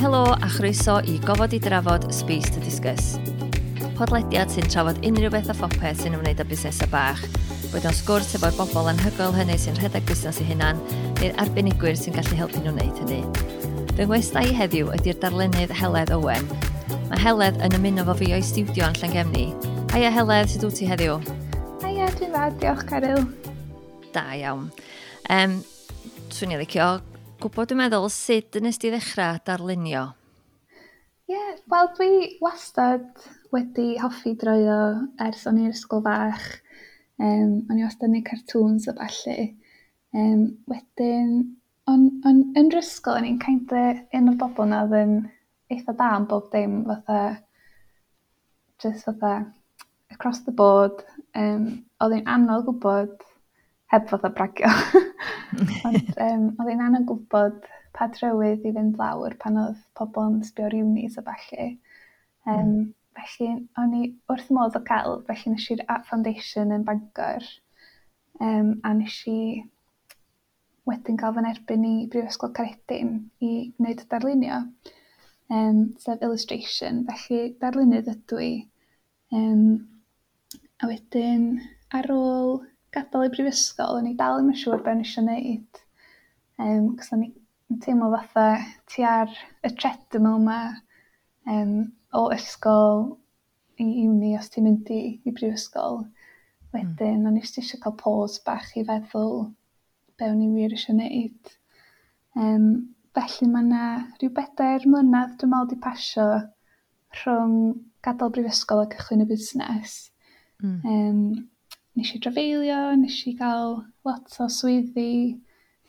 Helo a chroeso i Gofod i Drafod Space to Discuss. Podlediad sy'n trafod unrhyw beth a phopeth sy'n ymwneud â busnesau bach, boed o'n sgwrs efo'r bobl anhygoel hynny sy'n rhedeg busnes eu hunan, neu'r arbenigwyr sy'n gallu helpu nhw wneud hynny. Fy ngwestai i heddiw ydy'r darlunydd Heledd Owen. Mae Heledd yn ymuno fo fi o'i stiwdio yn Llangefni. Haia Heledd, sut wyt ti heddiw? Haia, dwi'n dda, diolch Caryl. Da iawn. Swn i'n licio gwybod, dwi'n meddwl, sut nes di ddechrau darlunio? Ie, yeah, wel dwi wastad wedi hoffi droio ers o'n i'n ysgol fach. O'n i wastad yn neud cartoons a ballu. Wedyn, on, yn yr ysgol, o'n i'n kind of un o'r bobl na oedd yn eitha da am bob dim, fatha, just fatha, across the board. Oedd hi'n anodd gwybod, heb fatha bragio, ond oedd hi'n anodd gwybod pa drywydd i fynd lawr pan oedd pobl yn sbio ar unis a ballu. Felly, o'n i wrth modd o cael, felly nes i'r Art Foundation yn Bangor. A nes i wedyn cael fy nerbyn i Brifysgol Caeredin i wneud darlunio, sef illustration. Felly darlunydd ydw i. A wedyn, ar ôl gadael y brifysgol, o'n i dal ddim yn siŵr be o'n i eisiau gwneud. Cos o'n i'n teimlo fatha ti ar y treadmill 'ma o ysgol i uni os ti'n mynd i brifysgol. Wedyn, o'n i jyst eisiau cael pause bach i feddwl be o'n i wir eisiau gwneud. Felly mae yna rhyw 4 mlynedd, dwi'n meddwl, di pasio rhwng gadael brifysgol a cychwyn y busnes. Nes i drafeilio, nes i gael lot o swyddi,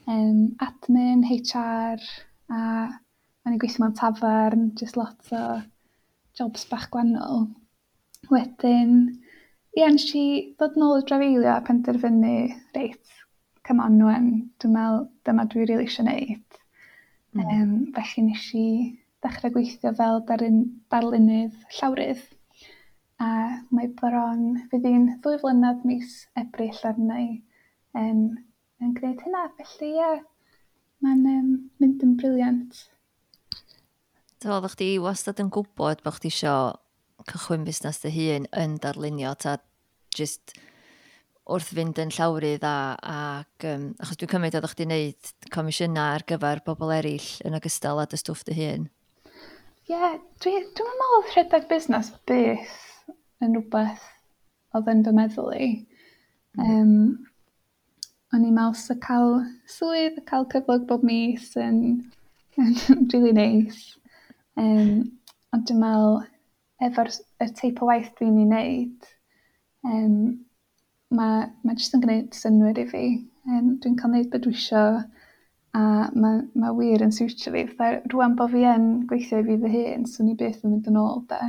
admin, HR, a o'n i'n gweithio mewn tafarn, just lot o jobs bach gwahanol. Wedyn, ie, nes i ddod nôl o drafeilio a penderfynu, reit, come on wan, dwi'n meddwl dyma dwi rili eisiau gwneud. Felly nes i ddechrau gweithio fel darlunydd llawrydd. A mae bron, fydd hi'n 2 flynedd mis Ebrill arna i yn gwneud hynna. Felly ie, mae'n mynd yn brilliant. Do, oeddech chdi wastad yn gwybod bod chdi isio cychwyn busnes dy hun yn darlunio, ta just wrth fynd yn llawrydd ac achos dwi'n cymryd oeddech chdi'n neud comisiynau ar gyfer bobl eraill yn ogystal â dy stwff dy hun. Ie, yeah, dwi'n meddwl oedd rhedeg busnes byth yn rhywbeth oedd yn fy meddwl i. O'n i'n meddwl sa cael swydd, cael cyflog bob mis yn really nice. Ond dwi'n meddwl, efo'r y teip o waith dwi'n ei wneud, mae jyst yn gwneud synnwyr i fi. Dwi'n cael gwneud beth dwi isio a mae wir yn siwtio fi. Fatha, rwan bod fi yn gweithio i fi fy hun, swn i byth yn mynd yn ôl, de.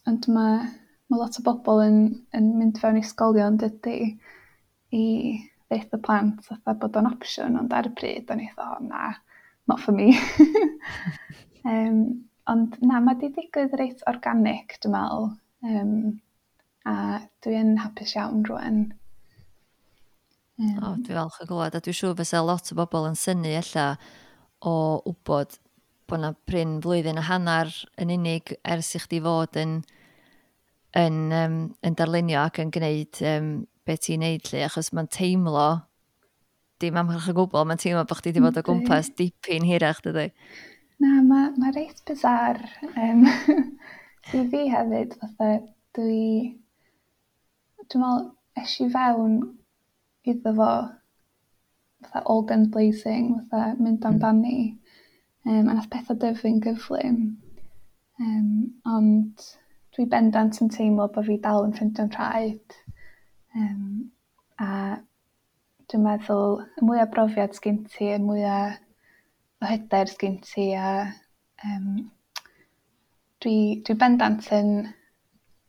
Ond mae lot o bobl yn mynd fewn i ysgolion, dydy, i ddeud y plant fatha bod o'n opsiwn, ond ar y pryd o'n i fatha, "Oh, na, not for me." Ond na, mae di digwydd reit organic, dwi'n meddwl. A dwi yn hapus iawn rwan. O, dwi falch o glywed, a dwi'n siŵr fysa lot o bobl yn synnu ella o wybod bod na prin flwyddyn a hanner yn unig ers i chdi fod yn darlunio ac yn gwneud be ti'n neud 'lly, achos mae'n teimlo, dim amhach o gwbl, mae'n teimlo bod chdi wedi bod o gwmpas dipyn hirach, dydy? Na, mae reit bizarre. I fi hefyd, fatha, dwi'n meddwl, es i fewn iddo fo fatha all guns blazing, fatha mynd amdani. A nath pethau dyfu'n gyflym. Ond dwi bendant yn teimlo bod fi dal yn ffeindio'n rhaid. A dwi'n meddwl, y mwyaf brofiad sgyn ti, y mwyaf o hyder sgyn ti, a dwi bendant yn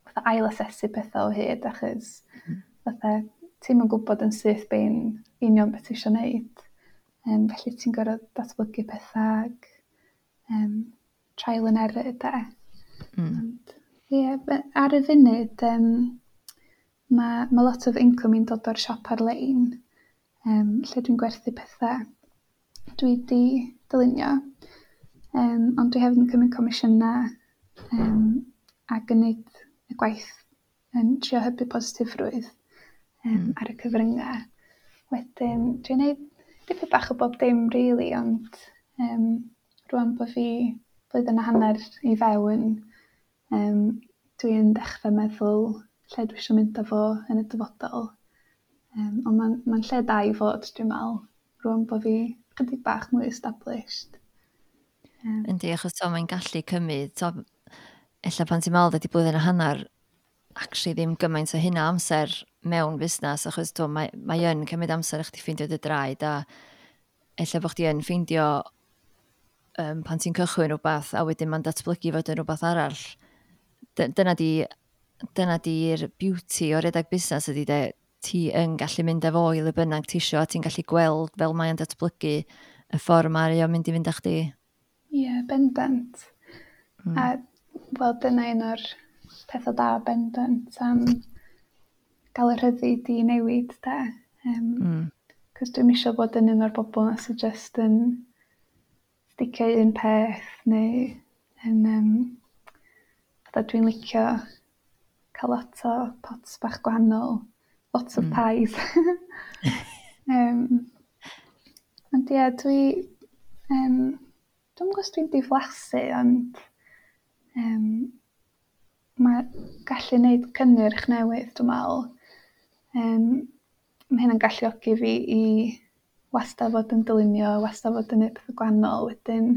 fatha ail-asesu pethau o hyd, achos fatha ti'm yn gwybod yn syth bin union beth ti isio wneud. Felly ti'n gorfod datblygu pethau ag trial and error, de. Ond, ie, ar y funud, mae lot o income i'n dod o'r siop ar-lein, lle dwi'n gwerthu pethau dwi 'di dylunio. Ond dwi hefyd yn cymryd comisiynau ac yn gwneud y gwaith yn trio hybu positifrwydd ar y cyfryngau. Wedyn dwi'n gwneud dipyn bach o bob dim really, ond rwan bod fi blwyddyn a hanner i fewn, dwi'n dechrau meddwl lle dwi eisiau mynd â fo yn y dyfodol. Ond mae'n lle da i fod, dwi'n meddwl, rwan bod fi chydig bach mwy established. Yndi, achos to, mae'n gallu cymryd, to, ella pan ti'n meddwl ydy blwyddyn a hanner, actually ddim gymaint o hynna amser mewn busnes, achos to, mae yn cymryd amser i chdi ffeindio dy draed, a ella bod chdi yn ffeindio pan ti'n cychwyn rhywbeth, a wedyn mae'n datblygu fod yn rhywbeth arall. Dyna di'r beauty o redeg busnes ydy de, ti yn gallu mynd efo i le bynnag ti isio, a ti'n gallu gweld fel mae'n datblygu y ffordd mae o'n mynd i fynd â chdi. Ie, yeah, bendant. A wel, dyna un o'r pethau da bendant am gael y rhyddid i newid, de. Cos dwi'm isio bod yn un o'r bobl na sydd just yn sticio i un peth neu yn fatha dwi'n licio cael lot o pots bach gwahanol, lots of pies. Ond ie, dwi'm yn gwybod os dwi'n diflasu, ond mae gallu gwneud cynnyrch newydd, dwi'n meddwl. Mae hynna'n galluogi fi i wastad fod yn dylunio, wastad fod yn gwneud pethau gwahanol. Wedyn,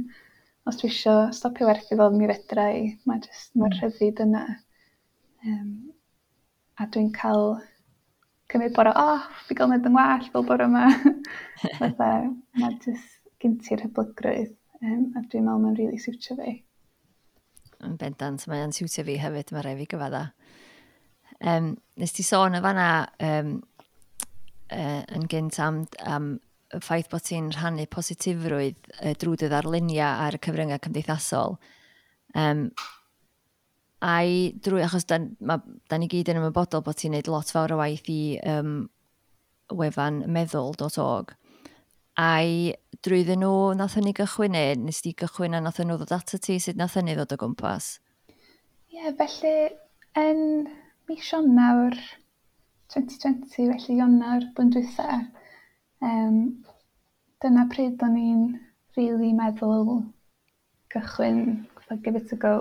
os dwi isio stopio werthu fel mi fedra i, mae jyst, mae'r rhyddid yna. A dwi'n cael cymryd bore off i gael gwneud yn well fel bore yma. Fatha, mae jyst gen ti'r hyblygrwydd, a dwi'n meddwl mae'n really siwtio fi. Yn bendant, mae'n siwtio fi hefyd, mae rhaid fi gyfadda. Nes ti sôn y fanna yn gynt am y ffaith bod ti'n rhannu positifrwydd drwy dy ddarluniau ar y cyfryngau cymdeithasol. Ai drwy, achos da ni gyd yn ymwybodol bod ti'n neud lot fawr o waith i wefan meddwl.org. Ai drwyddyn nhw nath hynny gychwyn neu nes di gychwyn a nath nhw ddod ato ti? Sut nath hynny ddod o gwmpas? Ie, yeah, felly yn mis Ionawr 2020, felly Ionawr blwyddyn dwytha, dyna pryd o'n i'n really meddwl gychwyn, fatha give it a go,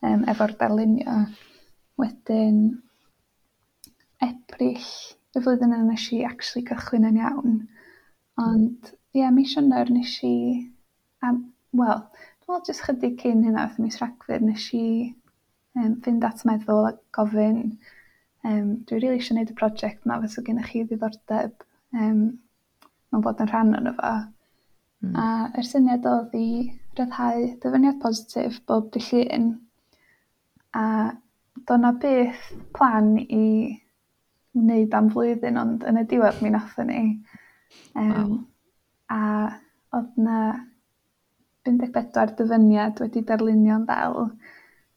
efo'r darlunio. Wedyn, Ebrill y flwyddyn yna nes i actually cychwyn yn iawn. Ond ie, yeah, mis Ionawr nes i, wel, dwi'n meddwl jyst chydig cyn hynna, wrth mis Rhagfyr, nes i fynd at Meddwl a gofyn, dwi rili eisiau gwneud y prosiect yma, fysa gennych chi ddiddordeb mewn bod yn rhan ono fo. A yr syniad oedd i ryddhau dyfyniad positif bob dydd Llun, a do' 'na byth plan i wneud am flwyddyn, ond yn y diwedd mi nathon ni. A oedd 'na 54 dyfyniad wedi darlunio'n ddel.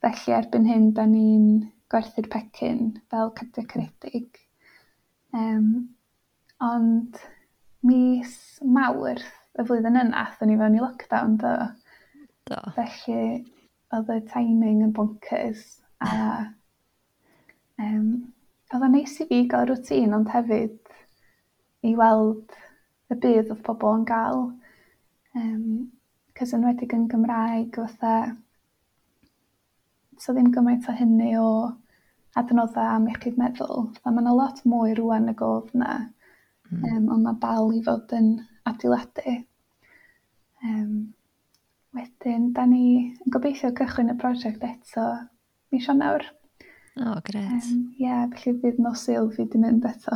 Felly erbyn hyn, da ni'n gwerthu'r pecyn fel cardiau caredig. Ond mis Mawrth y flwyddyn yna, athon ni fewn i lockdown, do. Do. Felly oedd y timing yn bonkers. A oedd o'n neis i fi gael routine, ond hefyd i weld y budd oedd pobl yn gael. Cos enwedig yn Gymraeg, fatha, so ddim gymaint o hynny o adnoddau am iechyd meddwl. Fatha, ma' 'na lot mwy rŵan nag oedd 'na. Ond mae dal i fod yn adeiladu. Wedyn, da ni yn gobeithio cychwyn y prosiect eto mis Ionawr. O, oh, gret. Ie, yeah, felly fydd nos Sul fi di mynd eto.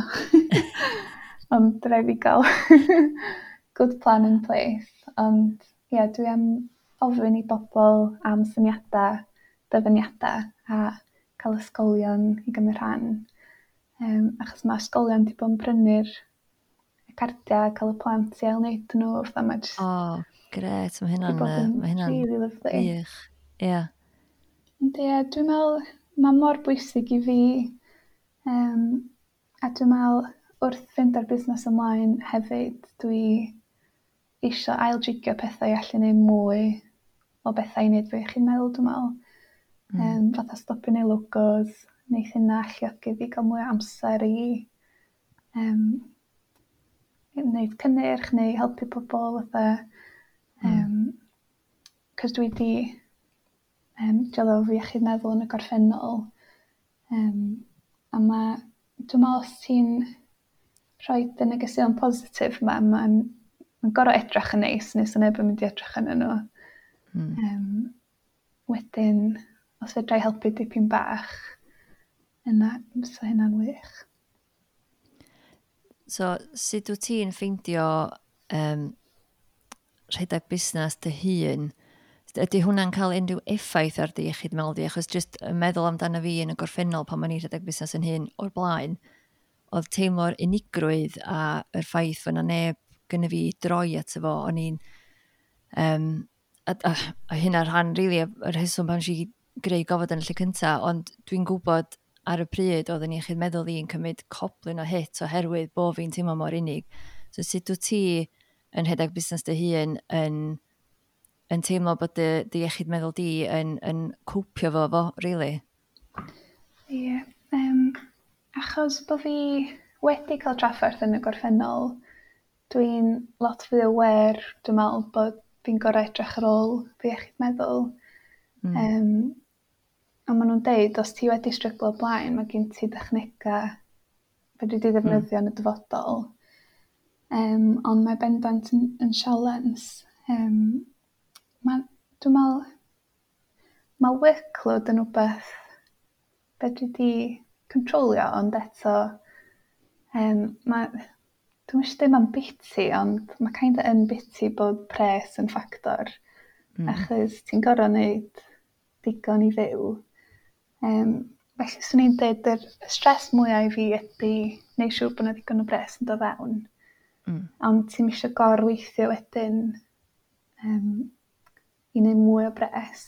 Ond rhaid fi gael good plan in place. Ond ie, yeah, dwi am ofyn i bobl am syniadau, dyfyniadau a cael ysgolion i gymryd rhan. Achos mae ysgolion wedi bod yn prynu'r cardiau a cael y plant i ail-wneud nhw. Fatha mae jyst O, oh, gret. Mae hynna'n 'di bod yn mae hynna'n really lovely. wych. Ie. Yeah. Ond ie, dwi'n meddwl mae mor bwysig i fi. A dwi'n meddwl wrth fynd â'r busnes ymlaen hefyd, dwi isio ail-jigio pethau i allu neud mwy. o bethau i wneud fo iechyd meddwl, dwi'n meddwl. Fatha stopio neud logos, neith hynna alluogi fi gael mwy o amser i wneud cynnyrch neu helpu pobl fatha. Cos dwi 'di dioddef efo iechyd meddwl yn y gorffennol. A dwi'n meddwl os ti'n rhoi y negeseuon positif 'ma, mae'n ma gorfod edrych yn neis, neu 'sa neb yn mynd i edrych arnyn nhw. Wedyn, os fedra i helpu dipyn bach, yna fysa hynna'n wych. So, sut wyt ti'n ffeindio rhedeg busnes dy hun? Ydy hwnna'n cael unrhyw effaith ar dy iechyd meddwl di? Achos jyst yn meddwl amdano fi yn y gorffennol pan o'n i'n rhedeg busnes yn hun o'r blaen, oedd teimlo'r unigrwydd a yr ffaith fod 'na neb gynna fi i droi ato fo, o'n i'n... A hynna'r rhan, really, yr rheswm pan nes i greu Gofod yn y lle cynta, ond dwi'n gwybod ar y pryd oedd yn iechyd meddwl i'n cymryd coblyn o hit oherwydd bo fi'n teimlo mor unig. So sut wyt ti yn rhedeg busnes dy hun yn teimlo bod dy iechyd meddwl di yn cwpio fo, really? Ie, yeah, achos bod fi wedi cael trafferth yn y gorffennol, dwi'n lot fwy aware, dwi'n meddwl, bod fi'n gorau edrych ar ôl fy iechyd meddwl. A maen nhw'n deud, os ti wedi stryglo o blaen, mae gen ti dechnegau fedri di ddefnyddio yn y dyfodol. Ond mae bendant yn sialens. Dwi'n meddwl, mae workload yn rhywbeth fedri di controlio, ond eto, dwi'm eisiau dweud mae'n biti, ond mae kind of yn biti bod pres yn ffactor. Achos ti'n gorfod wneud digon i fyw. Felly, swn i'n dweud yr stress mwyaf i fi ydy neud siŵr bod 'na ddigon o bres yn dod fewn. Ond ti'm isio gorweithio wedyn i wneud mwy o bres.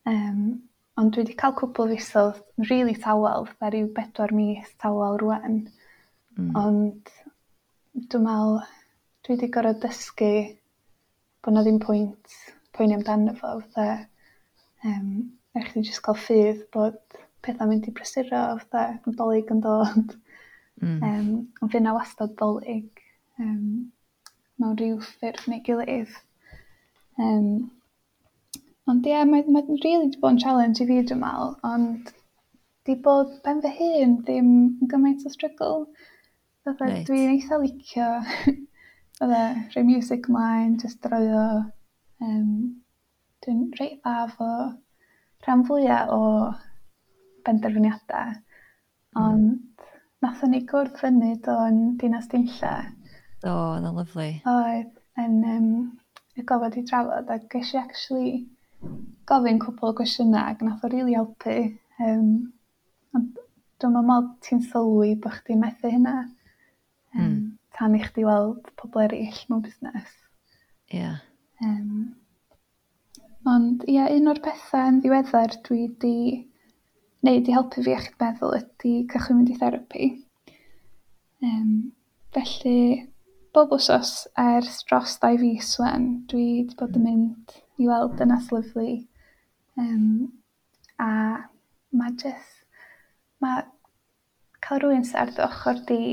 Ond dwi wedi cael cwpl o fisoedd really tawel, fatha ryw 4 mis tawel rŵan. Ond dwi'n meddwl dwi wedi gorfod dysgu bod 'na ddim pwynt poeni amdano fo, fatha rhaid chdi jyst cael ffydd bod pethau'n mynd i prysuro, fatha Nadolig yn dod. Ond fydd 'na wastad Dolig mewn rhyw ffurf neu gilydd. Ond ie, mae really 'di bod yn challenge i fi, dwi'n meddwl, ond 'di bod ben fy hun ddim yn gymaint o struggle. Fatha dwi'n eitha licio fatha rhoi music ymlaen, jyst drawio. Dwi'n reit dda efo rhan fwya o benderfyniadau. Ond nathon ni gwrdd fyny do yn Dinas Dinlle. Do, oedd o'n lyfli. Oedd, yn y Gofod i Drafod, a ges i actually gofyn cwpl o gwestiynau ac nath o rili helpu. Ond dwi'm yn meddwl ti'n sylwi bo' chdi'n methu hynna tan i chdi weld pobl eraill mewn busnes. Ond ie, un o'r pethau yn ddiweddar dwi 'di wneud i helpu fi iechyd meddwl ydy cychwyn mynd i therapi. Felly, bob wsos ers dros 2 fis wan, dwi 'di bod yn mynd i weld dynas lyfli. A mae just, mae cael rhywun sydd ar dy ochr di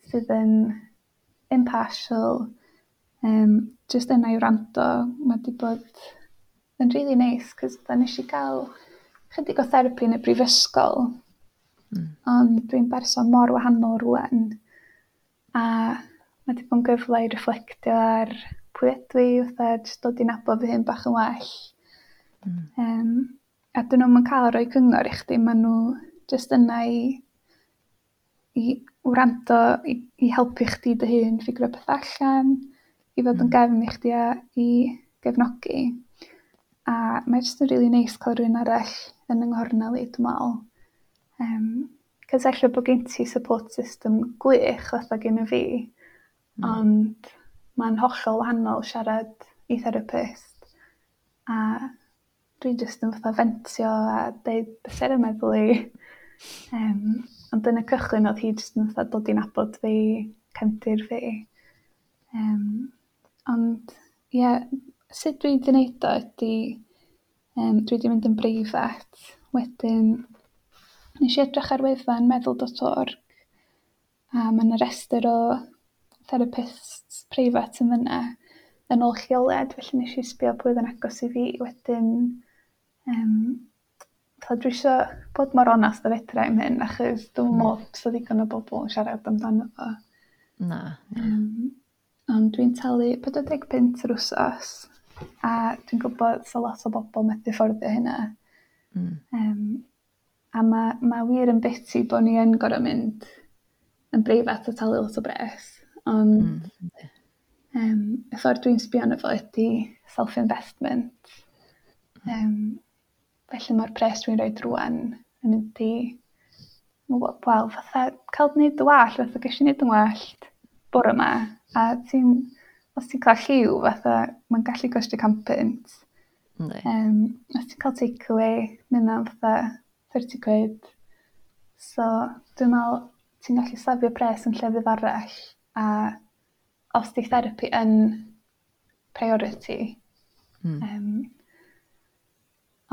sydd yn impartial, jyst yna i wrando, mae 'di bod yn really neis, cos nes i gael chydig o therapi yn y brifysgol, ond dwi'n berson mor wahanol rŵan, a mae 'di bod yn gyfle i reflectio ar pwy ydw i, fatha jyst dod i nabod fy hun bach yn well. A dyn nhw'm yn cael rhoi cyngor i chdi, maen nhw jyst yna i wrando, i helpu chdi dy hun ffigro pethau allan, i fod yn gefn i chdi a i gefnogi. A mae jyst yn rili neis cael rhywun arall yn yng nghornel i, dwi'n meddwl. Cos ella bod gen ti support system gwych fatha gen i fi, ond mae'n hollol wahanol siarad i therapist. A dwi jyst yn fatha fentio a deud beth sy ar 'y meddwl i. Ond yn y cychwyn oedd hi jyst yn fatha dod i nabod fi, cefndir fi. Ond ie, Sut dwi 'di neud o ydy, dwi 'di mynd yn breifat. Wedyn, nes i edrych ar wefan meddwl.org a mae 'na restr o therapists preifat yn fyna yn ôl lleoliad, felly nes i sbio pwy oedd yn agos i fi. Wedyn, dwi isio bod mor onast â fedra i'm hyn, achos dwi'm yn meddwl fysa ddigon o bobl yn siarad amdano fo. Na. Ond dwi'n talu 45 punt yr wsos, a dwi'n gwybod sa lot o bobl methu fforddio hynna. A ma' wir yn biti bod ni yn gorfod mynd yn breifat a talu lot o bres, ond y ffordd dwi'n sbio arno fo ydy self-investment. Felly mae'r pres dwi'n rhoi rŵan yn mynd i, wel, fatha cael gwneud dy wallt, fatha ges i wneud yn wallt bore yma, a ti'n, os ti'n cael lliw, fatha, mae'n gallu costio 100 punt. Os ti'n cael takeaway, mae hynna'n fatha 30 quid. So, dwi'n meddwl ti'n gallu safio pres yn llefydd arall, a os di therapi yn priority.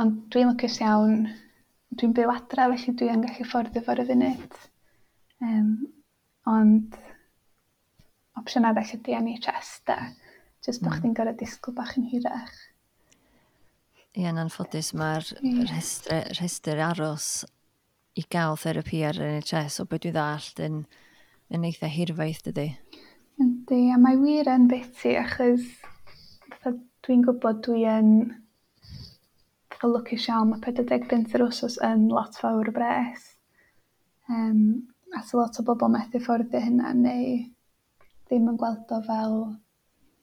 Ond dwi'n lwcus iawn, dwi'n byw adra, felly dwi yn gallu fforddio fo ar y funud. Ond opsiwn arall ydy NHS da. Jyst bod chdi'n gorfod disgwyl bach yn hirach. Ie, yn anffodus mae'r rhestr aros i gael therapi ar yr NHS, o beth dwi ddallt, yn eitha hirfaith, dydy? Yndi, a mae wir yn biti achos fatha dwi'n gwybod dwi yn fatha lwcus iawn, mae 45 punt yr wsos yn lot fawr o bres. A sa lot o bobl methu fforddio hynna neu ddim yn gweld o fel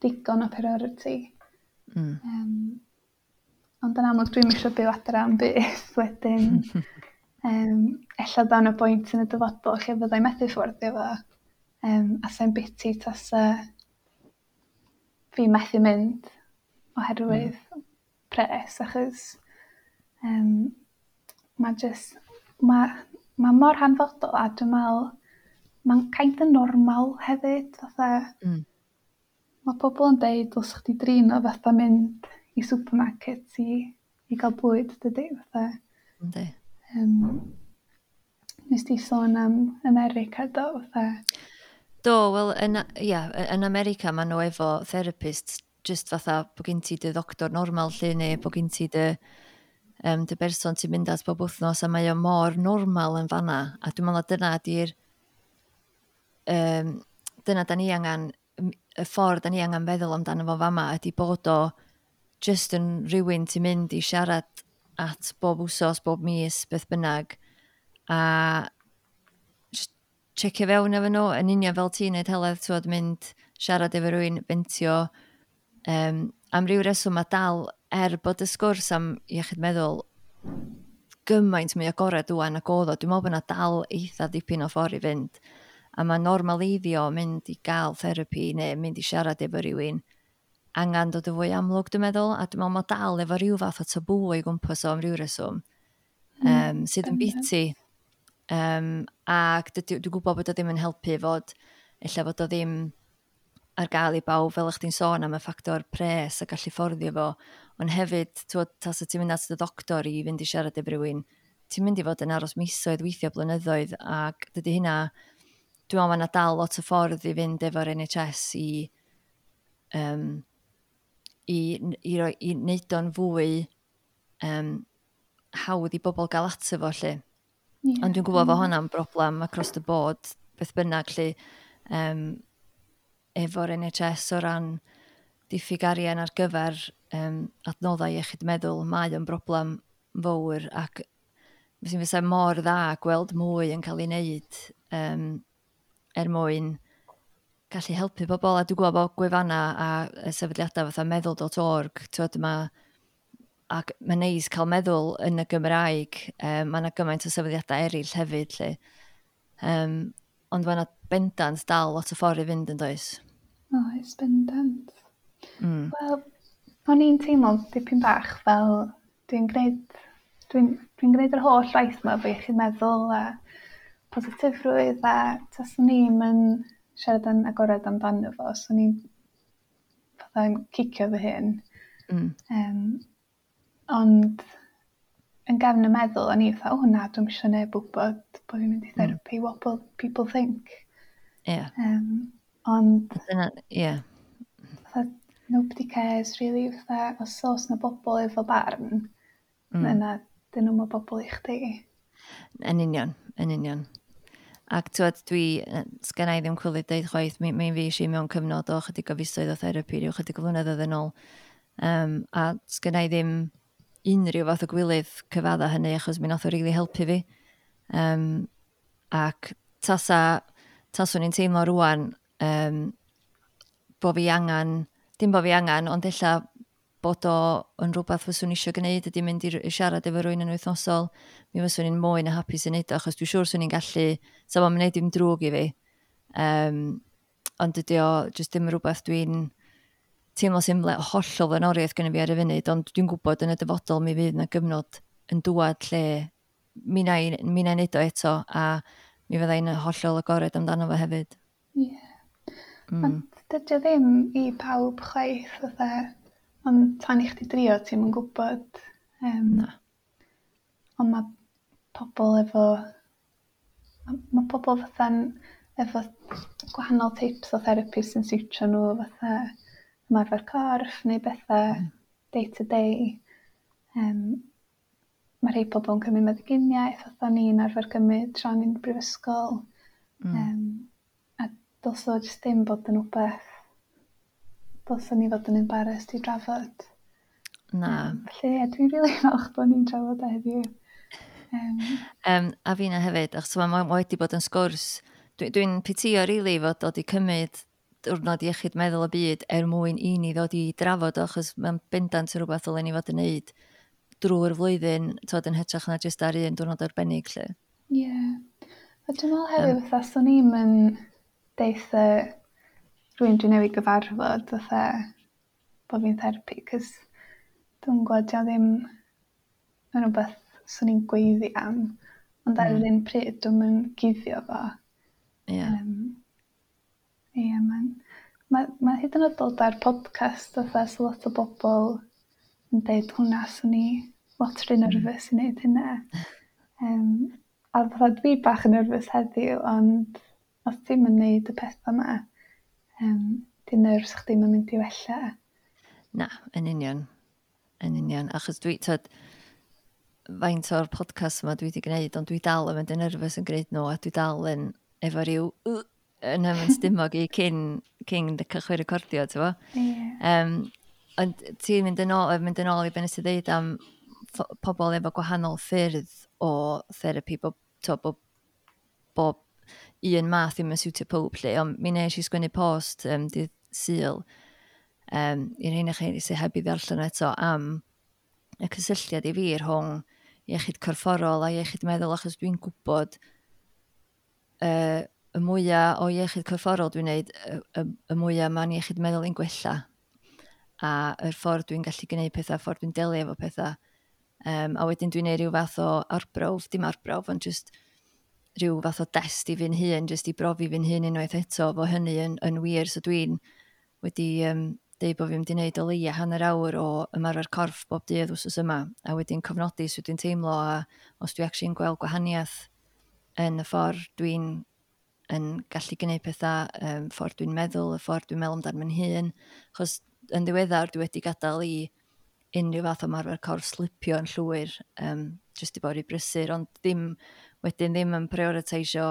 digon o priority. Ond yn amlwg dwi'm isio byw adra am byth wedyn. Ella daw 'na bwynt yn y dyfodol lle fyddai methu fforddio fo. A sa'n biti tasa fi methu mynd oherwydd pres, achos ma' jyst, ma' mor hanfodol a dwi'n meddwl mae'n kind of normal hefyd, fatha ma' pobl yn deud dylsa chdi drin o fatha mynd i supermarket i gael bwyd, dydy, fatha. Yndi. Nes di sôn am America, do, fatha? Do, wel, ia, yn America maen nhw efo therapists just fatha bod gen ti dy ddoctor normal lle neu bod gen ti dy berson ti'n mynd at bob wythnos, a mae o mor normal yn fanna. A dwi'n meddwl dyna ydy'r dyna da ni angen, y ffordd da ni angen feddwl amdano fo fama ydy bod o just yn rhywun ti'n mynd i siarad at bob wsos, bob mis, beth bynnag, a just checio fewn efo nhw, yn union fel ti'n neud, Heledd, ti'n mynd siarad efo rhywun, ventio, am ryw reswm mae dal, er bod y sgwrs am iechyd meddwl gymaint mwy agored ŵan ac oedd o, dwi'n meddwl bod yna dal eitha dipyn o ffordd i fynd. A mae normaleiddio mynd i gael therapi neu mynd i siarad efo rhywun angen dod yn fwy amlwg, dwi'n meddwl, a dwi'n meddwl mae dal efo rhyw fath o tabŵ o'i gwmpas o am ryw reswm, sydd yn biti. Ac dwi'n gwybod bod o ddim yn helpu fod, ella fod o ddim ar gael i bawb, fel ych chdi'n sôn am y ffactor pres a gallu fforddio fo, ond hefyd, t'wod, tasa ti'n mynd at y doctor i fynd i siarad efo rhywun, ti'n mynd i fod yn aros misoedd, weithio blynyddoedd, ac dydy hynna, dwi'n meddwl mae yna dal lot o ffordd i fynd efo'r NHS i wneud o'n fwy hawdd i bobl gael ato fo, lle. Ond dwi'n gwybod fod hwnna'n broblem across the board, beth bynnag, lle, efo'r NHS o ran diffyg arian ar gyfer adnoddau iechyd meddwl, mae o'n broblem fawr ac fysa mor dda gweld mwy yn cael ei wneud er mwyn gallu helpu bobl. A dwi'n gwybod bod gwefannau a sefydliadau fatha meddwl.org, t'wod, ac mae'n neis cael meddwl yn y Gymraeg. Mae yna gymaint o sefydliadau eraill hefyd, lle. Ond mae yna bendant dal lot o ffordd i fynd, yn does? Oes, bendant. Wel, o'n i'n teimlo dipyn bach fel dwi'n gwneud yr holl waith yma efo iechyd meddwl a positifrwydd, a taswn i'm yn siarad yn agored amdano fo, swn i'n fatha'n cicio fy hun. Ond yn gefn y meddwl, o'n i fatha, "O na, dwi'm isio neb wybod bod fi'n mynd i therapy, what will people think?" Ond Dyna, ie. Yeah. Fatha, nobody cares, really, fatha, os oes na bobl efo barn, yna dyn nhw'm y bobl i chdi. Yn union, yn union. Ac twyd, dwi, sgenna i ddim cwilydd deud chwaith, mi fi eisiau mewn cyfnod o chydig o fisoedd o therapi, rhyw chydig o flynyddoedd yn ôl. A sgenna i ddim unrhyw fath o gwilydd cyfadda hynny, achos mi nath o rili helpu fi. Ac taswn i'n teimlo rwan bo fi angen, dim bo fi angen, ond ella bod o yn rhywbeth fyswn i eisiau gwneud ydy mynd i siarad efo rywun yn wythnosol, mi fyswn i'n mwy na hapus yn neud o, achos dwi'n siŵr swn i'n gallu, sa fo'n gwneud dim drwg i fi. Ond dydy o jyst ddim rhywbeth dwi'n teimlo sy'n hollol flaenoriaeth gyda fi ar y funud, ond dwi'n gwybod yn y dyfodol mi fydd yna gyfnod yn dŵad lle mi na i neud o eto, a mi fydda i'n hollol agored amdano fo hefyd. Ie. Yeah. Ond dydy o ddim i pawb chwaith, fatha, ond tan i chdi drio ti'm yn gwybod. Na. Ond mae pobl efo, ma pobl fatha'n efo gwahanol types o therapy sy'n siwtio nhw, fatha ymarfer corff neu bethau day to day. Mae rhai pobl yn cymryd meddyginiaeth, fatha ni'n arfer cymryd tra ni'n brifysgol. A dylse o jyst ddim bod yn wbeth dylsen ni fod yn embarrassed i drafod. Na. Felly ie, dwi'n rili falch bod ni'n trafod o heddiw. A fi na hefyd, achos mae ma wedi bod yn sgwrs. Dwi'n dwi pitio rili fod dod i cymryd diwrnod iechyd meddwl y byd er mwyn i ni ddod i drafod o, achos mae'n bendant yn rhywbeth ddylen ni fod yn neud drwy'r flwyddyn, twod, yn hytrach na jyst ar un diwrnod arbennig, lle. Ie. Yeah. A dwi'n meddwl hefyd, fatha, swn i'm yn deutha rhywun dwi newydd gyfarfod, fatha, bod fi'n therapi, cos dwi'n gwybod, dio ddim yn rhywbeth swn i'n gweiddi am, ond ar yr un pryd dwi'm yn guddio fo. Ie, mae'n ma hyd yn oed dod ar podcast, fatha, so lot o bobl yn deud hwnna, swn i lot rhy nervous i wneud hynna. A fatha dwi bach yn nervous heddiw, ond os ti'm yn neud y pethau yma, di nerves chdi'm yn mynd i wella. Na, yn union. Yn union. Achos dwi, tyd, faint o'r podcast yma dwi wedi gwneud, ond dwi dal yn mynd yn nervous yn gwneud nhw, a dwi dal yn efo rhyw yn ymwneud stumog i cyn cychwyn recordio, ti'n bo? Ie. Ond ti'n mynd yn ôl i be nes i ddeud am pobl efo gwahanol ffyrdd o therapi, to, bob un math ddim yn siwtio pob lle, ond mi nes i sgwennu post dydd Sul i'r rheina chi sydd heb i ddarllen eto am y cysylltiad i fi rhwng iechyd corfforol a iechyd meddwl, achos dwi'n gwybod y mwyaf o iechyd corfforol dwi'n neud, y mwyaf mae'n iechyd meddwl i'n gwella. A yr ffordd dwi'n gallu gwneud pethau, ffordd dwi'n delio efo pethau. A wedyn dwi'n neud rhyw fath o arbrawf, dim arbrawf, ond just rhyw fath o dest i fi'n hun, just i brofi fi'n hun unwaith eto, fo hynny yn wir. So dwi'n wedi deud bod fi'n mynd i wneud o leia hanner awr o ymarfer corff bob dydd wsos yma, a wedyn cofnodi sut dwi'n teimlo a os dwi actually'n gweld gwahaniaeth yn y ffordd dwi'n yn gallu gwneud pethau, ffordd dwi'n meddwl, y ffordd dwi'n meddwl amdano fy hun. Achos yn ddiweddar dwi wedi gadael i unrhyw fath o ymarfer corff slipio yn llwyr, jyst i bod rhy brysur, ond ddim, wedyn ddim yn prioritisio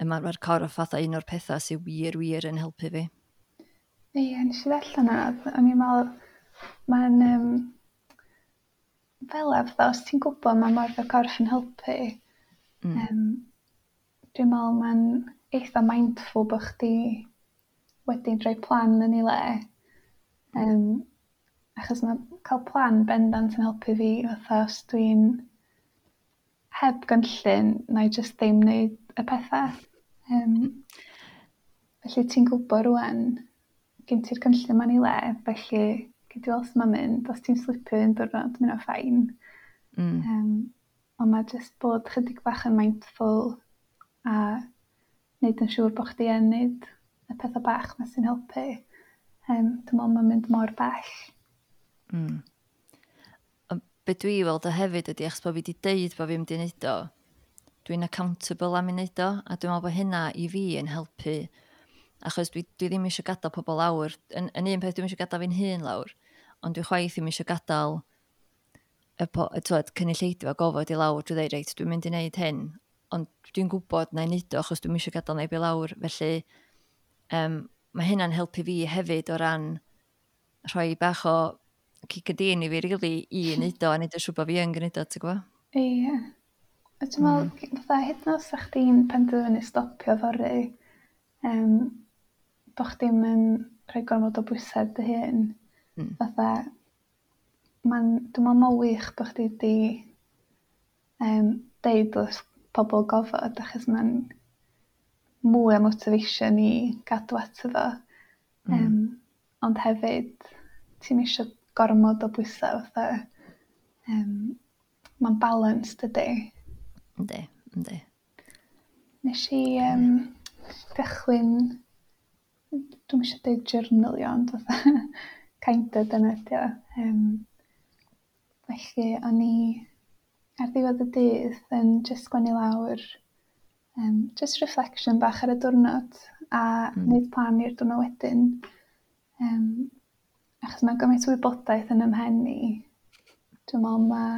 ymarfer corff fatha un o'r pethau sydd wir, wir yn helpu fi. Ie, nes i ddarllen yna, o'n i'n meddwl, mae'n fel fatha, os ti'n gwybod mae ymarfer corff yn helpu, dwi'n meddwl mae'n eitha mindful bod chdi wedi rhoi plan yn ei le. Achos mae cael plan bendant yn helpu fi, fatha os dwi'n heb gynllun, na i jyst ddim wneud y pethau. Felly ti'n gwybod rwan, gen ti'r cynllun ma'n ei le, felly gei di weld sut ma'n mynd, os ti'n slipio un diwrnod, mae hynna'n fine. Ond mae jyst bod chydig bach yn mindful a wneud yn siŵr bod chdi yn wneud y pethau bach 'ma sy'n helpu. Dwi'n meddwl mae'n mynd mor bell. Ond be dwi weld o hefyd ydy, achos bod fi wedi deud bod fi'n mynd i wneud o, dwi'n accountable am i wneud o, a dwi'n meddwl bod hynna i fi yn helpu, achos dwi ddim eisiau gadael pobl lawr. Yn un peth, dwi'n eisiau gadael fi'n hun lawr, ond dwi chwaith ddim eisiau gadael y cynulleidfa gofod i lawr. Dwi'n dweud, "Reit, dwi'n mynd i wneud hyn," ond dwi'n gwybod na i wneud o, achos dwi'n eisiau gadael neb i lawr. Felly, mae hynna'n helpu fi hefyd o ran rhoi bach o cic y din i fi, really, i wneud o, a wneud yn siŵr bod fi yn gwneud o, ti'n gwybod? Ie. A dwi'n meddwl, fatha, hyd yn oed os sa chdi'n penderfynu stopio fory, bo' chdi'm yn rhoi gormod o bwysau ar dy hun. Fatha, dwi'n meddwl mae'n wych bo' chdi 'di deud wrth pobl gofod, achos mae'n mwy o motivation i gadw ato fo. Ond hefyd, ti'm isio gormod o bwysau, fatha, mae'n balance, dydy? Yndi. Nes i gychwyn, dwi'm eisiau deud journalio, ond fatha kind of dyna ydi o. Felly o'n i ar ddiwedd y dydd yn jyst sgwennu lawr just reflection bach ar y diwrnod a wneud plan i'r diwrnod wedyn. Achos mae gymaint o wybodaeth yn 'y mhen i. Dwi'n meddwl mae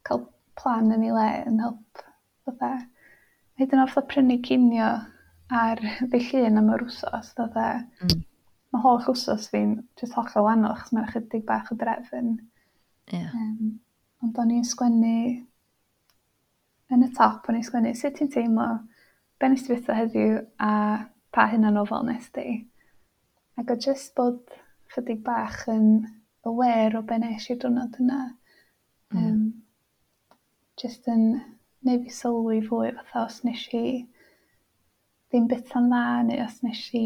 cael plan yn ei le yn help, fatha, hyd yn oed fatha prynu cinio ar ddydd Llun am yr wsos, fatha, mae holl wsos fi'n jyst hollol wahanol achos mae'n chydig bach o drefn. Ond o'n i'n sgwennu yn y top, o'n i'n sgwennu sut ti'n teimlo, be nes ti fwyta heddiw a pa hunanofal nes di. Ac o jyst bod chydig bach yn aware o be nes i'r diwrnod yna. Jyst yn neud fi sylwi fwy, fatha os nes i ddim byta'n dda neu os nes i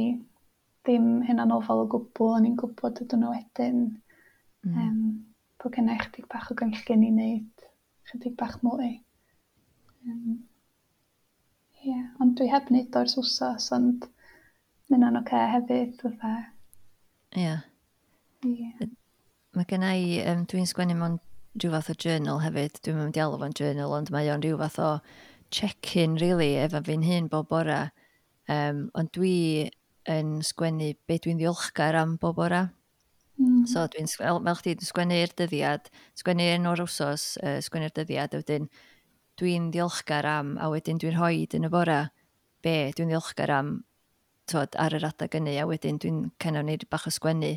ddim hunanofal o gwbl, o'n i'n gwybod y diwrnod wedyn. Bod genna i chydig bach o gynllun i wneud chydig bach mwy. Ie, ond dwi heb wneud o ers wsos, ond ma' hynna'n ocê hefyd, fatha. Ie. Mae gen i, dwi'n sgwennu mewn rhyw fath o journal hefyd. Dwi'n mynd i alw fo'n journal, ond mae o'n rhyw fath o check-in, really, efo fi'n hun bob bora. Ond dwi yn sgwennu be dwi'n ddiolchgar am bob bora. So dwi'n, fel chdi, dwi'n sgwennu'r dyddiad, sgwennu enw'r wsos, sgwennu'r dyddiad, a wedyn dwi'n ddiolchgar am, a wedyn dwi'n rhoi yn y bora be dwi'n ddiolchgar am, twod, ar yr adeg hynny, a wedyn dwi'n kind of neud bach o sgwennu.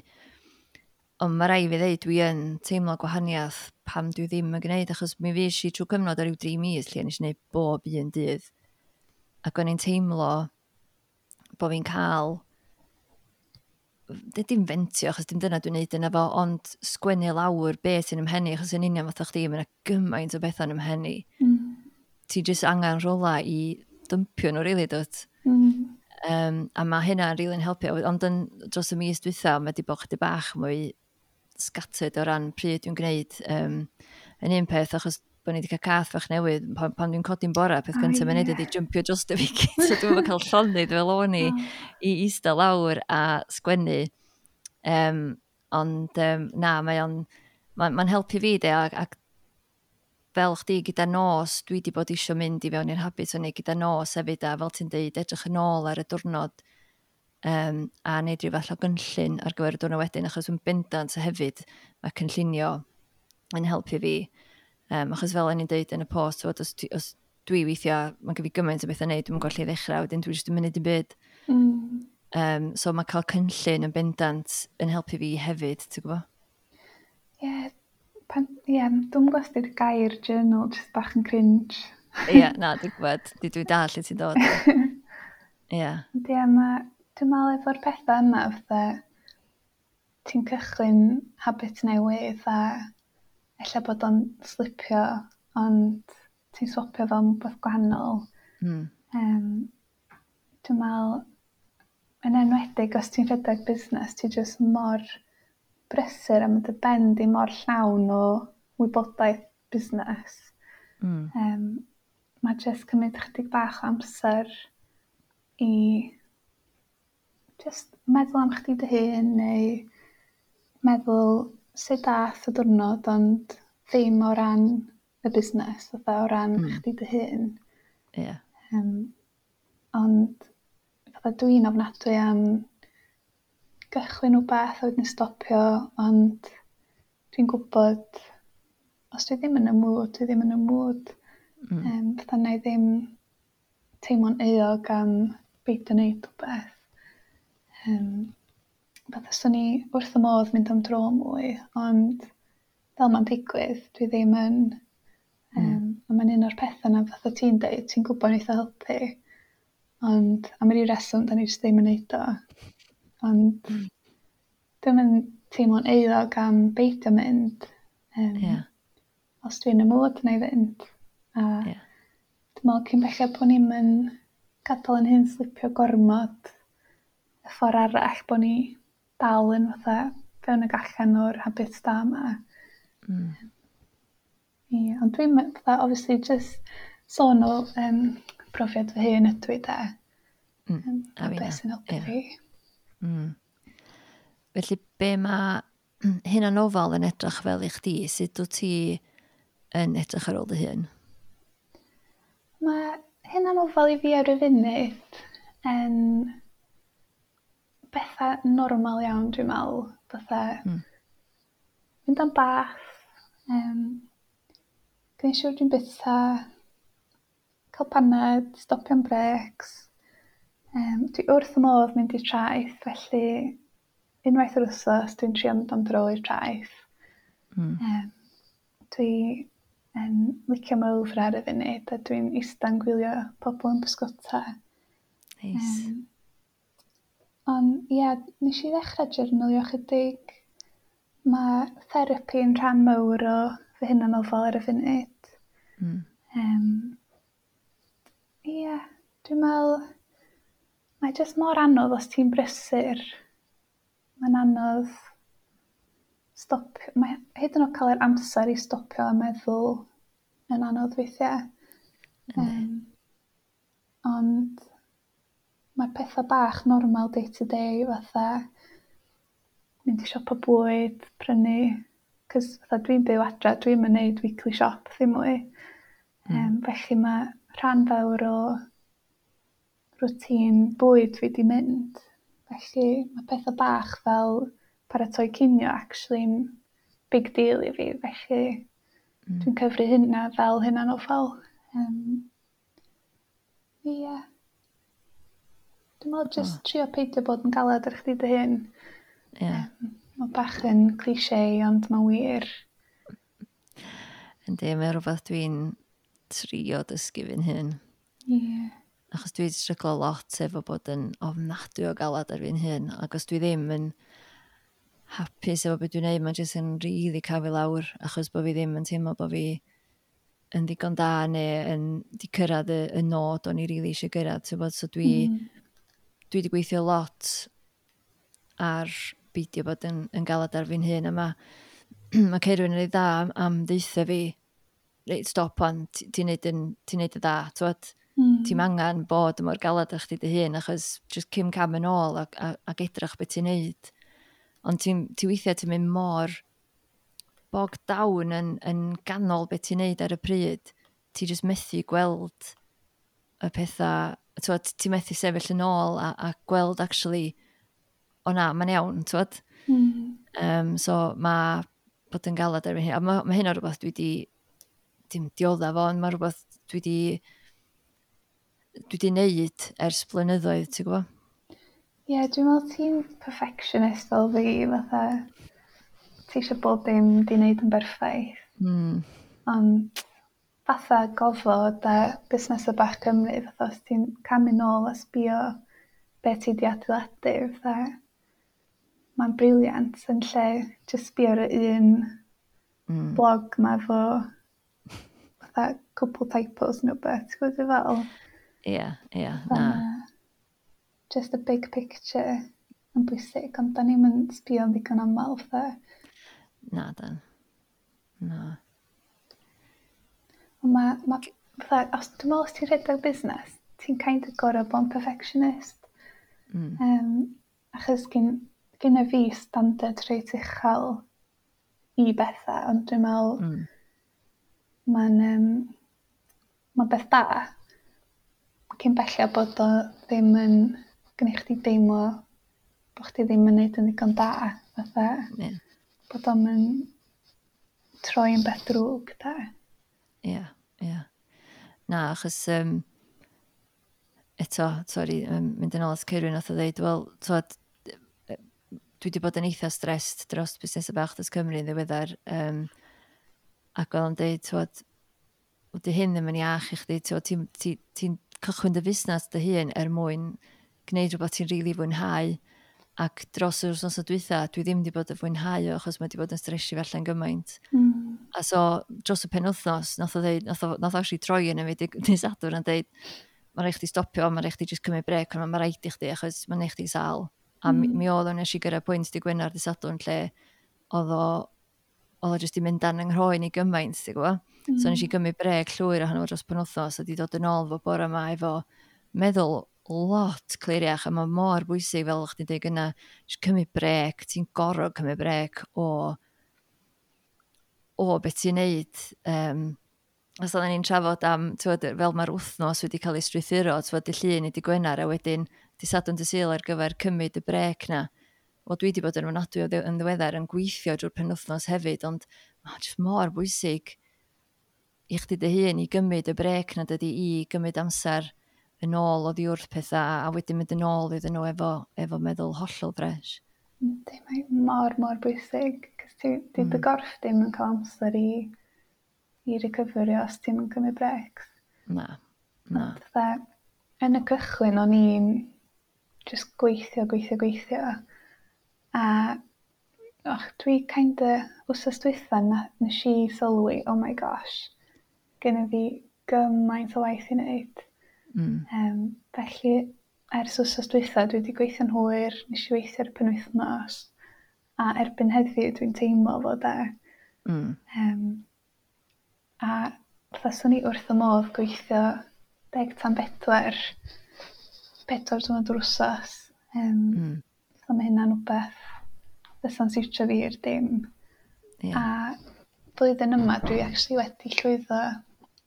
Ond mae rhaid fi ddeud, dwi yn teimlo gwahaniaeth pam dwi ddim yn gwneud, achos mi fues i trwy cyfnod o ryw 3 mis lle nes i wneud bob un dydd. Ac o'n i'n teimlo bod fi'n cael, dim fentio, achos dim dyna dwi'n neud yna fo, ond sgwennu lawr beth sy'n 'y mhen i, achos yn union fatha chdi, mae yna gymaint o bethau yn 'y mhen i. Ti jyst angen rhywle i dympio nhw, really, dwt? A mae hynna'n rili'n helpu, ond yn dros y mis dwytha, mae wedi bod chydig bach mwy scattered o ran pryd dwi'n gwneud. Yn un peth, achos bod ni wedi cael cath fach newydd, pan dwi'n codi'n bora, peth gyntaf mae'n neud ydy jumpio dros fi gyd, so dwi'n cael llonydd fel o'n i i eistedd lawr a sgwennu. Ond na, mae o'n ma helpu fi de, ac fel chdi gyda nos, dwi wedi bod eisiau mynd i fewn i'r habit o'n i gyda nos hefyd, a fel ti'n deud, edrych yn ôl ar y diwrnod a neud rhyw fath o gynllun ar gyfer y diwrnod wedyn, achos yn bendant hefyd mae cynllunio yn helpu fi. Achos fel o'n i'n deud yn y post, os, os dwi weithiau, mae gen fi gymaint o bethau wneud, dwi'n gweld lle i ddechrau, wedyn dwi'n jyst yn mynd i byd. So mae cael cynllun yn bendant yn helpu fi hefyd, ti'n gwybod? Ie, yeah, yeah, dwi'n gwybod os di'r gair journal just bach yn cringe. Ie, yeah, na, dwi'n gwybod. Dwi dal lle ti'n dod. Ie. Yeah. Ie, mae, dwi'n meddwl efo'r pethau yma, fatha, ti'n cychwyn habit newydd a ella bod o'n slipio, ond ti'n swapio fo am rhywbeth gwahanol. Dwi'n meddwl, yn enwedig os ti'n rhedeg busnes, ti jyst mor brysur a mae dy ben di mor llawn o wybodaeth busnes. Mae jyst cymryd chydig bach o amser i just meddwl am chdi dy hun neu meddwl sut dath y diwrnod, ond ddim o ran y busnes, fatha o ran chdi dy hun. Ond fatha dwi'n ofnadwy am gychwyn wbath a wedyn stopio, ond dwi'n gwybod os dwi ddim yn y mood, dwi ddim yn y mood. Fatha na i ddim teimlo'n euog am beidio wneud wbath. Fatha swn i wrth y modd mynd am dro mwy, ond fel mae'n digwydd, dwi ddim yn. A mae'n un o'r pethau yna fatha ti'n deud, ti'n gwybod neith o helpu, ond am ryw reswm da ni jyst ddim yn neud o. Ond dwi'm yn teimlo'n euog am beidio mynd. Os dwi'n y mood na i fynd. A dwi'n meddwl cyn belled bod ni'm yn gadael yn hun slipio gormod y ffordd arall, bod ni dal yn fatha fewn ag allan o'r habits da yma. Ie, ond dwi'n fatha, obviously, just sôn o profiad fy hun ydw i de. A a finna, beth sy'n helpu fi. Felly, be mae hunanofal yn edrych fel i chdi? Sut wyt ti yn edrych ar ôl dy hun? Mae hunanofal i fi ar y funud yn bethau normal iawn, dwi'n meddwl. Fatha mynd am bath, gwneud siŵr dwi'n byta, cael paned, stopio am breaks. Dwi wrth y modd mynd i'r traeth, felly unwaith yr wsos dwi'n trio mynd am dro i'r traeth. Dwi yn licio Moelfre ar y funud, a dwi'n ista'n gwylio pobl yn pysgota. Neis. Ond ie, yeah, nes i ddechrau journalio chydig. Mae therapi yn rhan mawr o fy hunanofal ar y funud. Ie, dwi'n meddwl, mae jyst mor anodd os ti'n brysur. Mae'n anodd stop, mae hyd yn oed cael yr amser i stopio a meddwl yn anodd weithiau. Ond mae'r pethau bach normal day to day fatha mynd i siopa bwyd, prynu, cos fatha dwi'n byw adra, dwi'm yn neud weekly shop ddim mwy. Felly mae rhan fawr o routine bwyd fi di mynd. Felly mae pethau bach fel paratoi cinio actually'n big deal i fi, felly dwi'n cyfri hynna fel hunanofal. Ie. Dwi'n meddwl jyst trio peidio bod yn galad ar chdi dy hun. Mae bach yn cliché, ond mae'n wir. Yndi, mae rhywbeth dwi'n trio dysgu fi'n hun. Achos dwi'n stryglo lot efo bod yn ofnadwy o galad ar fi'n hun. Ac os dwi ddim yn hapus efo beth dwi'n neud, mae'n jyst yn rili cael fi lawr, achos bod fi ddim yn teimlo bod fi yn ddigon da neu yn di cyrraedd y nod o'n i rili eisiau gyrraedd. Ti'n gwbod? So dwi wedi gweithio lot ar beidio bod yn galad ar fi'n hun, a mae Ceirwyn yn ei dda am ddeutha fi, reit, stop on, ti'n neud y dda, t'wod? Ti'm angen bod mor galad ar chdi dy hun, achos just cym cam yn ôl ac edrych beth ti'n neud. Ond ti weithiau ti'n mynd mor bogged down yn ganol beth ti'n neud ar y pryd, ti just methu gweld y pethau, t'wod, ti methu sefyll yn ôl a gweld actually, o na, mae'n iawn, t'wod? So mae bod yn galad ar hyn, a ma hynna rhywbeth dwi di, dim dioddef fo, ond mae rhywbeth dwi di neud ers blynyddoedd, ti'n gwybod? Ie, yeah, dwi'n meddwl ti'n perfectionist fel fi, fatha, ti eisiau bob dim di wneud yn berffaith. Ond fatha gofod a busnesau bach Cymru, fatha os ti'n camu nôl a sbio be ti di adeiladu, fatha, mae'n brilliant yn lle just sbio ar y un blog ma efo fatha cwpl typos neu beth, ti'n gwybod fel? Ie, ie, Fatha na. Just a big picture yn bwysig, ond da ni'm yn sbio'n ddigon aml, fatha. Na, dan. Na. Ond ma, fatha, os, dwi'n meddwl os ti'n rhedeg busnes, ti'n kind of gorfod bod yn perfectionist. Achos gynna fi standard reit uchel. i bethau, ond dwi'n meddwl mae'n ma beth da cyn belled bod o ddim yn gwneud chdi deimlo bod chdi ddim yn neud yn ddigon da, fatha bod o'm yn troi yn beth drwg, da. Ie, ie. Na, achos eto, sori, mynd yn ôl at Ceirwyn, nath o ddeud, wel, twod, dwi wedi bod yn eitha stressed dros busnesau bach dros Cymru yn ddiweddar, ac oedd o'n deud, twod, di hyn ddim yn iach i chdi, twod, ti'n ti, ti cychwyn dy fusnes dy hun er mwyn gwneud rhywbeth ti'n rili fwynhau, ac dros yr wythnos dwytha, dwi ddim wedi bod yn fwynhau o, achos mae wedi bod yn stresio fi allan gymaint. A so, dros y penwythnos, nath o ddeud, nath o actually troi yn y fi dydd Sadwrn yn deud, mae rhaid chdi stopio, mae rhaid chdi just cymryd brec, ond mae rhaid i chdi, achos mae'n neud chdi sâl. A mi oedd o'n nes i gyrraedd pwynt dydd Gwener, dydd Sadwrn, lle oedd o jyst i mynd dan yng nghroen i gymaint, ti'n gwybod? So nes i gymryd brec llwyr ohono fo dros penwythnos a di dod yn ôl fo bore yma efo meddwl lot cliriach, a mae mor bwysig, fel o'ch chdi'n dweud gynna, jyst cymryd brec, ti'n gorfod cymryd brec o beth ti'n neud. Os oedden ni'n trafod am, t'wod, fel mae'r wythnos wedi cael ei strwythuro, t'wod, dydd Llun i dydd Gwener, a wedyn dydd Sadwrn, dydd Sul ar gyfer cymryd y brec na. Wel, dwi wedi bod yn ofnadwy o yn ddiweddar yn gweithio drwy'r penwythnos hefyd, ond mae'n jyst mor bwysig i chdi dy hun i gymryd y brec na, dydy, i gymryd amser yn ôl oddi wrth pethau a wedyn mynd yn ôl iddyn nhw efo meddwl hollol fresh. Yndi, mae mor, mor bwysig, cos ti, di dy gorff ddim yn cael amser i recoverio os ti'n yn cymryd breaks. Na, na. Ond fatha, yn y cychwyn o'n i'n just gweithio, gweithio, gweithio. A och, dwi kinda, wsos dwytha na, nes i sylwi, oh my gosh, genna fi gymaint o waith i wneud. Felly, ers wsos dwytha, dwi wedi gweithio'n hwyr, nes i weithio ar y penwythnos, a erbyn heddiw dwi'n teimlo fod e. A fatha swn i wrth y modd gweithio 3:50, 4 diwrnod yr wsos. So mae hynna'n wbeth fysa'n siwtio fi i'r dim. A blwyddyn yma dwi actually wedi llwyddo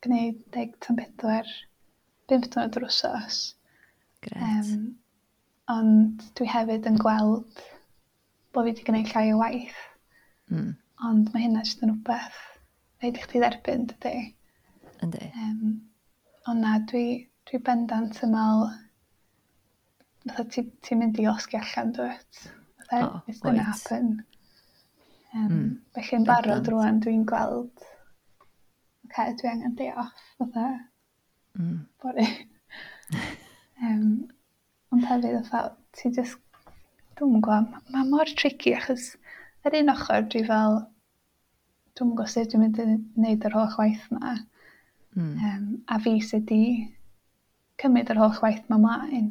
gwneud 3:50, 5 diwrnod yr wsos. Gret. Ond dwi hefyd yn gweld bod fi wedi gwneud llai o waith. Ond mae hynna jyst yn wbeth rhaid i chdi dderbyn, dydy? Yndi. Ond na, dwi bendant yn meddwl, fatha ti'n mynd i losgi allan, dwyt? Fatha, it's gonna happen. Felly yn barod rwan dwi'n gweld, okay, dwi angen day off, fatha, bore. Ond hefyd, fatha, ti just, dwi'm yn gwybod, mae mor tricky achos ar un ochr dwi fel, dwi'm yn gwybod sut dwi'n mynd i wneud yr holl waith 'ma. A fi sydd wedi cymryd yr holl waith 'ma mlaen.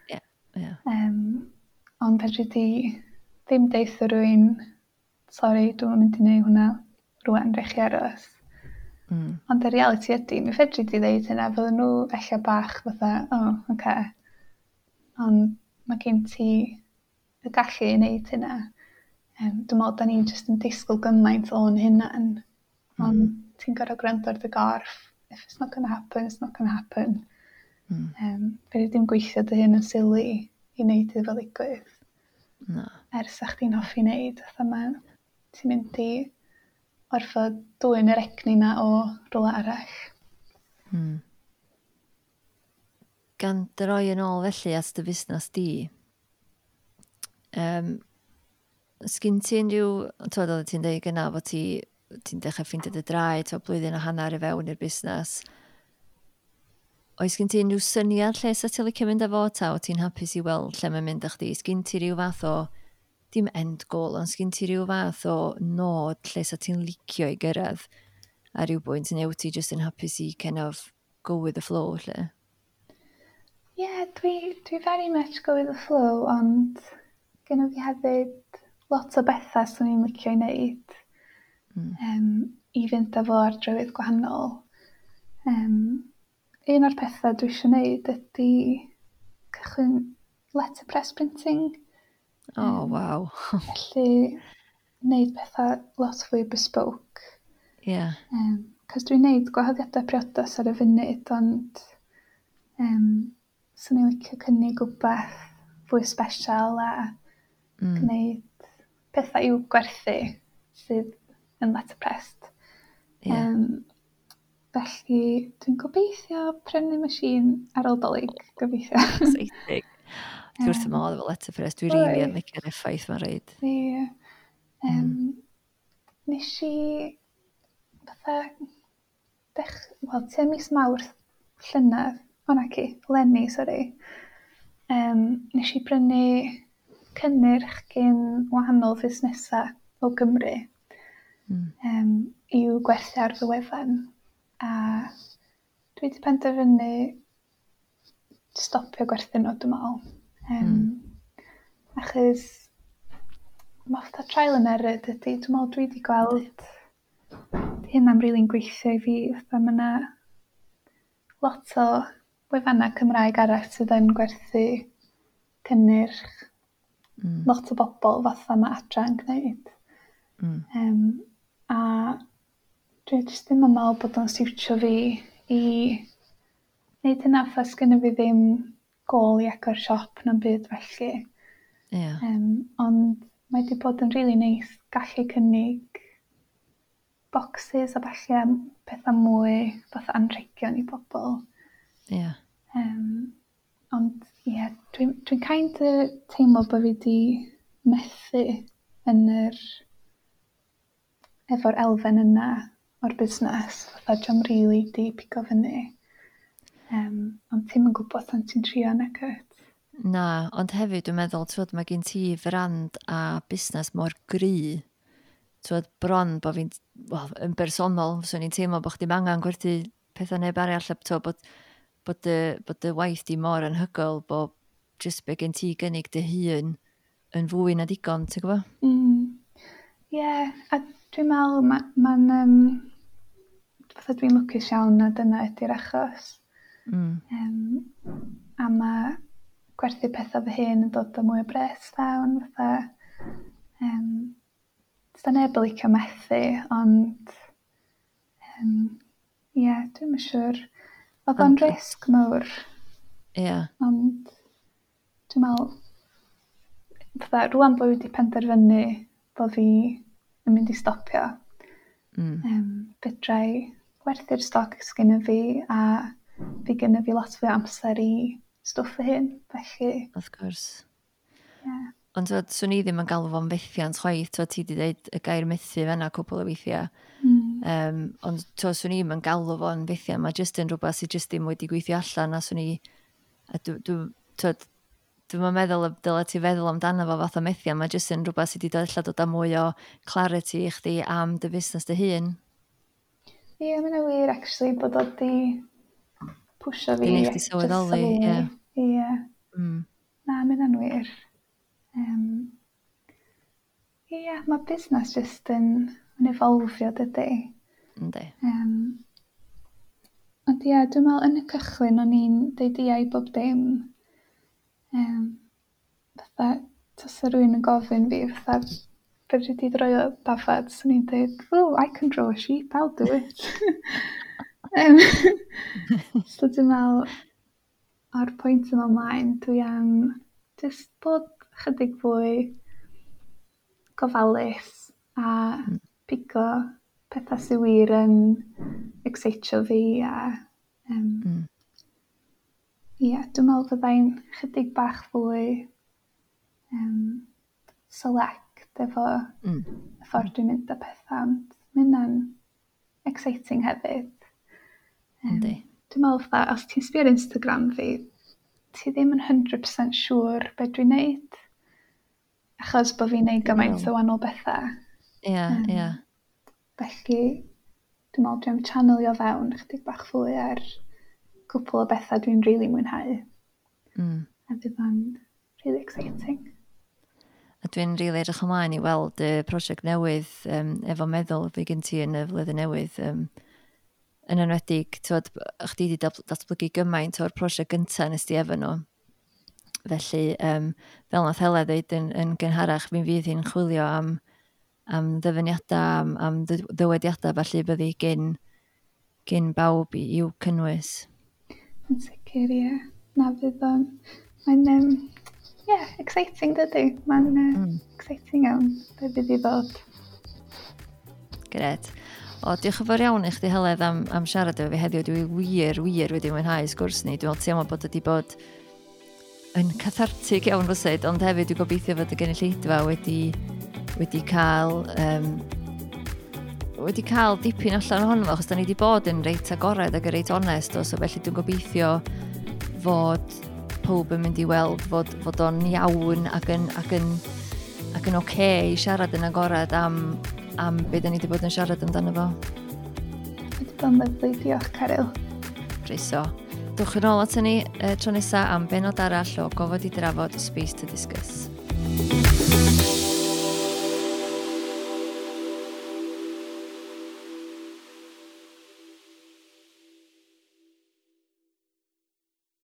Ie, ie. Ond fedri di ddim deutha rywun, "Sori, dwi'm yn mynd i wneud hwnna rŵan, rhaid chi aros." Ond y reality ydy, mi fedri di ddeud hynna, fydden nhw ella bach fatha, "Oh, oce." Ond mae gen ti y gallu i wneud hynna. Dwi'n meddwl da ni jyst yn disgwyl gymaint o'n hunan. Ond ti'n gorfod gwrando ar dy gorff. If it's not gonna happen, it's not gonna happen. Fedri di'm gweithio dy hun yn silly i wneud iddo fo ddigwydd. Na. Er sa chdi'n hoffi wneud, fatha ma, ti'n mynd i orfod dwyn yr egni na o rhywle arall. Gan droi yn ôl felly at dy fusnes di, sgyn ti unrhyw, twod, oeddet ti'n dweud gyna fod ti'n dechrau ffeindio dy draed, twod, blwyddyn a hanner i fewn i'r busnes. Oes gen ti unrhyw syniad lle sa ti'n licio mynd â fo, ta o ti'n hapus i weld lle mae'n mynd â chdi? Sgyn ti rhyw fath o, dim end goal, ond sgyn ti rhyw fath o nod lle sa ti'n licio i gyrraedd ar ryw bwynt, neu wyt ti jyst yn hapus i kind of go with the flow, lle? Ie, yeah, dwi very much go with the flow, ond genna fi hefyd lot o bethau swn i'n licio i wneud i fynd â fo ar drywydd gwahanol. Un o'r pethau dwi eisiau wneud ydy cychwyn letterpress printing. Oh, waw. Felly, wneud pethau lot fwy bespoke. Ie. Cos dwi'n neud gwahoddiadau priodas ar y funud, ond swn i'n licio cynnig rhywbeth fwy special a gwneud pethau i'w gwerthu sydd yn letterpressed. Ie. Felly dwi'n gobeithio prynu machine ar ôl Dolig, gobeithio. Exciting. Dwi wrth fy modd efo letterpress, dwi rili yn licio'r effaith mae'n rhaid. Ie. Nes i fatha wel, tua mis Mawrth llynedd, o naci, eleni, sori, nes i brynu cynnyrch gen wahanol fusnesau o Gymru i'w gwerthu ar fy wefan. A dwi wedi penderfynu stopio gwerthu nhw, dwi'n meddwl. Achos mae fatha trial and error dydy. Dwi'n meddwl dwi wedi gweld 'di hynna'n rili'n gweithio i fi. Fatha ma' 'na lot o wefannau Cymraeg arall sydd yn gwerthu cynnyrch lot o bobl fatha ma' Adra yn gwneud. A dwi jyst ddim yn meddwl bod o'n siwtio fi i wneud hynna, fatha sgynno fi ddim gôl i agor siop na'm byd felly. Ie. Ond mae wedi bod yn rili neis gallu cynnig boxes a ballu a pethau mwy fatha anrhegion i bobl. Ie. Ond ie, dwi'n kind of teimlo bod fi 'di methu yn yr efo'r elfen yna o'r busnes. Fatha dio'm rili 'di pigo fyny. Ond ti'm yn gwybod tan ti'n trio nagwyt? Na, ond hefyd dwi'n meddwl, t'wod, mae gen ti frand a busnes mor gry. T'wod, bron bod fi'n, wel, yn bersonol, fyswn i'n teimlo bod chdi'm angen gwerthu pethau neb arall, a t'wod, bod dy waith di mor anhygoel, bod jyst be gen ti gynnig dy hun yn fwy na digon, ti'n gwybod? Ie, a dwi'n meddwl ma'n fatha dwi'n lwcus iawn na dyna ydy'r achos. A ma' gwerthu pethau fy hun yn dod â mwy o bres fewn, fatha, does 'na neb yn licio methu, ond ie, dwi'm yn siŵr. Oedd o'n risg mawr. Ie. Ond dwi'n meddwl, fatha, rŵan bod fi wedi penderfynu bod fi yn mynd i stopio, fedra i werthu'r stoc sgynno fi a fi gynno fi lot fwy o amser i stwff fy hun, felly. Wrth gwrs. Ie. Ond t'wod, swn i ddim yn galw fo'n fethiant chwaith, t'wod, ti 'di ddeud y gair methu fan'na cwpl o weithiau. Ond t'wod, swn i'm yn galw fo'n fethiant, mae jyst yn rhywbeth sydd jyst ddim wedi gweithio allan, a swn i, a t'wod, dwi'm yn meddwl y dylai ti feddwl amdano fo fath o methiant, mae jyst yn rhywbeth sydd wedi dod ella dod â mwy o clarity i chdi am dy fusnes dy hun. Ie, mae hynna'n wir, actually, bod o 'di pwsio fi 'Di neud chdi jyst sylweddoli, ie. Ie. Na, mae hynna'n wir. Ie, mae busnes jyst yn evolfio, dydy? Yndi. Ond ie, dwi'n meddwl yn y cychwyn o'n i'n deud ia i bob dim. Fatha, tasa rhywun yn gofyn fi, fatha, fedri di droio dafad, swn i'n deud, "Oh, I can draw a sheep, I'll do it." So dwi'n meddwl, o'r pwynt yma ymlaen, dwi am jyst bod chydig fwy gofalus a pigo pethau sydd wir yn excitio fi a ie, dwi'n meddwl fyddai'n chydig bach fwy select efo y ffordd dwi'n mynd â pethau, ond mae hynna'n exciting hefyd. Yndi. Dwi'n meddwl fatha, os ti'n sbio ar Instagram fi, ti ddim yn 100% siŵr be dwi'n neud, achos bod fi'n neud gymaint o wahanol bethau. Ie, ie. Felly, dwi'n meddwl dwi'n channelio fewn chydig bach fwy ar cwpl o bethau dwi'n rili mwynhau. A fydd o'n really exciting. A dwi'n rili edrych ymlaen i weld y prosiect newydd efo meddwl fi gen ti yn y flwyddyn newydd. Yn enwedig, t'wod, chdi 'di datblygu gymaint o'r prosiect gynta nes di efo nhw. Felly, fel nath Hela ddeud yn gynharach, mi fydd hi'n chwilio am Am ddyfyniadau, am ddywediadau, felly byddu gyn bawb i'w cynnwys. Yn sicr, ie. Na, fydd o'n. Mae'n, yeah, exciting, dydy. Mae'n exciting iawn be fydd i ddod. Gret. O, diolch yn fawr iawn i chdi, Heledd, am siarad efo fi heddiw. Dwi wir, wir wedi mwynhau sgwrs ni. Dwi'n meddwl teimlo bod wedi bod yn cathartig iawn rywsut, ond hefyd dwi'n gobeithio fod y gynulleidfa wedi cael dipyn allan ohono fo, achos da ni wedi bod yn reit agored ac yn reit onest, o, so felly dwi'n gobeithio fod pob yn mynd i weld fod o'n iawn ac yn oce i siarad yn agored am beth da ni wedi bod yn siarad amdano fo. Wedi bod yn lyfli, diolch, Caryl. Croeso. Dwch yn ôl at ni tro nesaf am benod arall o Gofod i Drafod, Space to Discuss.